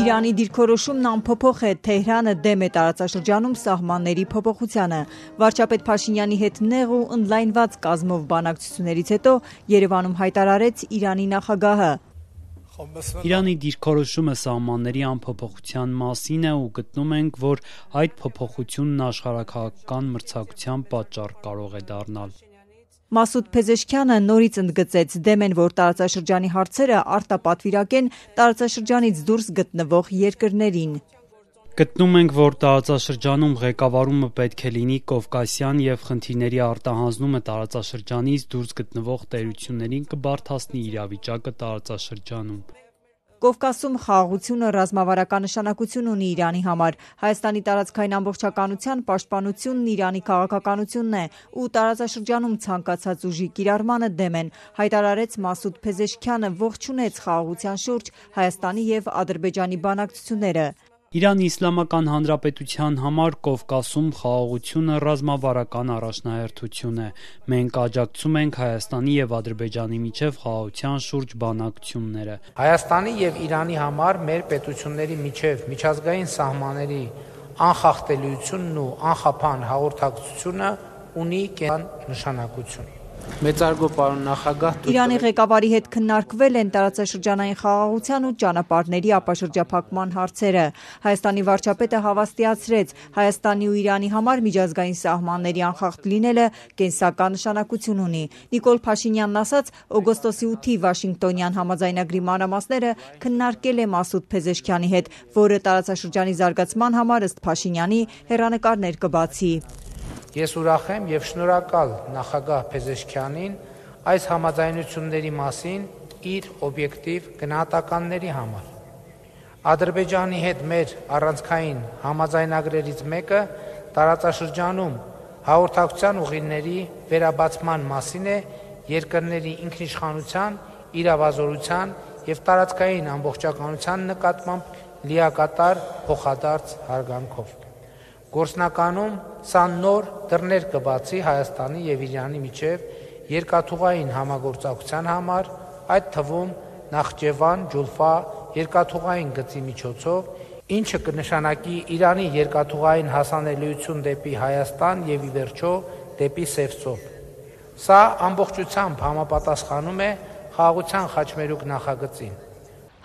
Իրանի դիրքորոշումն անփոփոխ է, Թեհրանը դեմ է տարածաշրջանում սահմանների փոփոխությանը։ Վարչապետ Փաշինյանի հետ նեղ ու ընդլայնված կազմով բանակցություններից հետո Երևանում հայտարարեց Իրանի նախագահը. Իրանի դիրքորոշումը սահմանների անփոփոխության մասին է ու գտնում ենք, որ այդ փոփոխությունն աշխարհաքաղաքական մրցակցության պատճառ կարող է դառնալ։ Մասուդ Փեզեշքյանը նորից ընդգծեց, դեմ են, որ տարածաշրջանի հարցերը արտապատվիրակեն տարածաշրջանից դուրս գտնվող երկրներին։ Գտնում ենք, որ տարածաշրջանում ղեկավարումը պետք է լինի կովկասյան և խնդիրների արտահանձնումը տարածաշրջանից դուրս գտնվող տերություններին կբարդացնի իրավիճակը տարածաշրջանում։ Կովկասում խաղաղությունը ռազմավարական նշանակություն ունի Իրանի համար։ Հայաստանի տարածքային ամբողջականության պաշտպանությունն Իրանի քաղաքականությունն է ու տարածաշրջանում ցանկացած ուժի կիրառմանը դեմ են, հայտարարեց Մասուդ Փեզեշքյանը, ողջունեց խաղաղության շուրջ Հայաստանի և Ադրբեջանի բանակցությունները։ Իրանի Իսլամական Հանրապետության համար Կովկասում խաղաղությունը ռազմավարական առաջնահերթություն է։ Մենք աջակցում ենք Հայաստանի և Ադրբեջանի միջև խաղաղության շուրջ բանակցությունները։ Հայաստանի և Իրանի համար մեր պետությունների միջև միջազգային սահմանների անխախտելիությունն ու անխափան հաղորդակցությունը ունի կենսական նշանակություն։ Մեծարգո պարոն նախագահ, Իրանի ղեկավարի հետ քննարկվել են տարածաշրջանային խաղաղության ու ճանապարհների ապաշրջափակման հարցերը։ Հայաստանի վարչապետը հավաստիացրեց, Հայաստանի ու Իրանի համար միջազգային սահմանների անխախտ լինելը կենսական նշանակություն ունի։ Նիկոլ Փաշինյանն ասաց, օգոստոսի 8-ի Վաշինգտոնյան համաձայնագրի մանրամասները քննարկել է Մասուդ Փեզեշքյանի հետ, որը տարածաշրջանի զարգացման համար ըստ Փաշինյանի հեռանկարներ կբացի։ Ես ուրախ եմ և շնորհակալ նախագահ Փեզեշքյանին այս համաձայնությունների մասին իր օբյեկտիվ գնահատականների համար։ Ադրբեջանի հետ մեր առանցքային համաձայնագրերից մեկը տարածաշրջանում հաղորդակցության ուղիների վերաբացման մասին է երկրների ինքնիշխանության, իրավազորության և տարածքային ամբողջականության նկատմամբ լիակատար փոխադարձ հարգանքով։ Գործնականում սա նոր դռներ կբացի Հայաստանի և Իրանի միջև երկաթուղային համագործակցության համար, այդ թվում Նախճեվան-Ջուլֆա երկաթուղային գծի միջոցով, ինչը կնշանակի Իրանի երկաթուղային հասանելիություն դեպի Հայաստան և ի վերջո դեպի Սևծով։ Սա ամբողջությամբ համապատասխանում է խաղաղության խաչմերուկ նախագծին։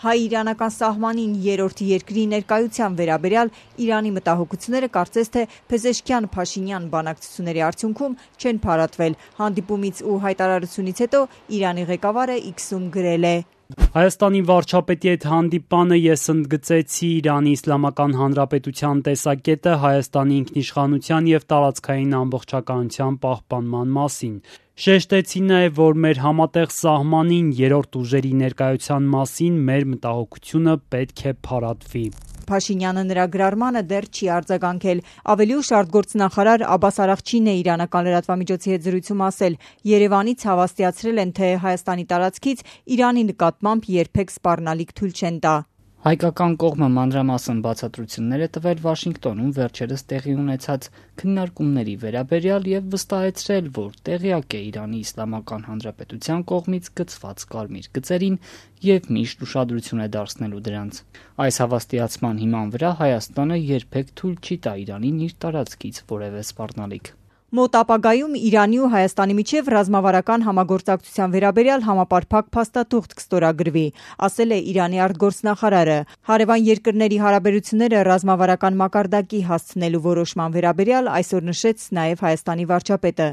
Հայ-իրանական սահմանին երրորդ երկրի ներկայության վերաբերյալ Իրանի մտահոգությունները կարծես թե Փեզեշքյան-Փաշինյան բանակցությունների արդյունքում չեն փարատվել։ Հանդիպումից ու հայտարարությունից հետո Իրանի ղեկավարը X-ում գրել է. Հայաստանի վարչապետի հետ հանդիպանը ես ընդգծեցի Իրանի Իսլամական Հանրապետության տեսակետը Հայաստանի ինքնիշխանության և տարածքային ամբողջականության պահպանման մասին։ Շեշտեցի նաև, որ մեր համատեղ սահմանին երրորդ ուժերի ներկայության մասին մեր մտահոգությունը պետք է փարատվի։ Փաշինյանը նրա գրառմանը դեռ չի արձագանքել։ Ավելի ուշ արտգործնախարար Աբբաս Արաղչին է իրանական լրատվամիջոցի հետ զրույցում ասել. Երևանից հավաստիացրել են, թե Հայաստանի տարածքից Իրանի նկատմամբ երբեք սպառնալիք թույլ չեն տա։ Հայկական կողմը մանրամասն բացատրություններ է տվել Վաշինգտոնում վերջերս տեղի ունեցած քննարկումների վերաբերյալ և վստահեցրել, որ տեղյակ է Իրանի Իսլամական Հանրապետության կողմից գծված կարմիր գծերին և միշտ ուշադրություն է դարձնելու դրանց։ Այս հավաստիացման հիման վրա Հայաստանը երբեք թույլ չի տա Իրանին իր տարածքից որևէ սպառնալիք։ Մոտ ապագայում Իրանի ու Հայաստանի միջև ռազմավարական համագործակցության վերաբերյալ համապարփակ փաստաթուղթ կստորագրվի, ասել է Իրանի արտգործնախարարը։ Հարևան երկրների հարաբերությունները ռազմավարական մակարդակի հասցնելու որոշման վերաբերյալ այսօր նշեց նաև Հայաստանի վարչապետը։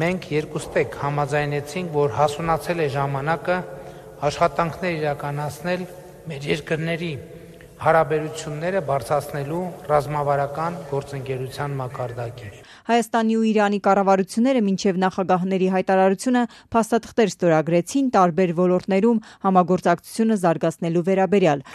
Մենք երկուստեք համաձայնեցինք, որ հասունացել է ժամանակը աշխատանքներ իրականացնել մեր երկրների հարաբերությունները բարձրացնելու ռազմավարական գործընկերության մակարդակի։ Հայաստանի ու Իրանի կառավարությունները մինչև նախագահների հայտարարությունը փաստաթղթեր ստորագրեցին տարբեր ոլորտներում համագործակցությունը զարգացնելու վերաբերյալ։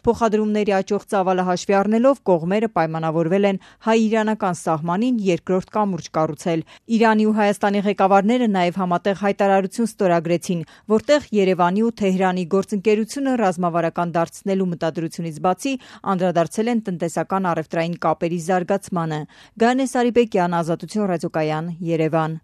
Փոխադրումների աճող ծավալը հաշվի առնելով կողմերը պայմանավորվել են հայ-իրանական սահմանին երկրորդ կամուրջ կառուցել։ Իրանի ու Հայաստանի ղեկավարները նաև համատեղ հայտարարություն ստորագրեցին, որտեղ Երևանի ու Թեհրանի գործընկերությունը ռազմավարական դարձնելու մտադրությունից բացի անդրադարձել են տնտեսական առևտրային կապերի զարգացմանը։ Գայանե Սարիբեկյան, Ազատություն ռադիոկայան, Երևան։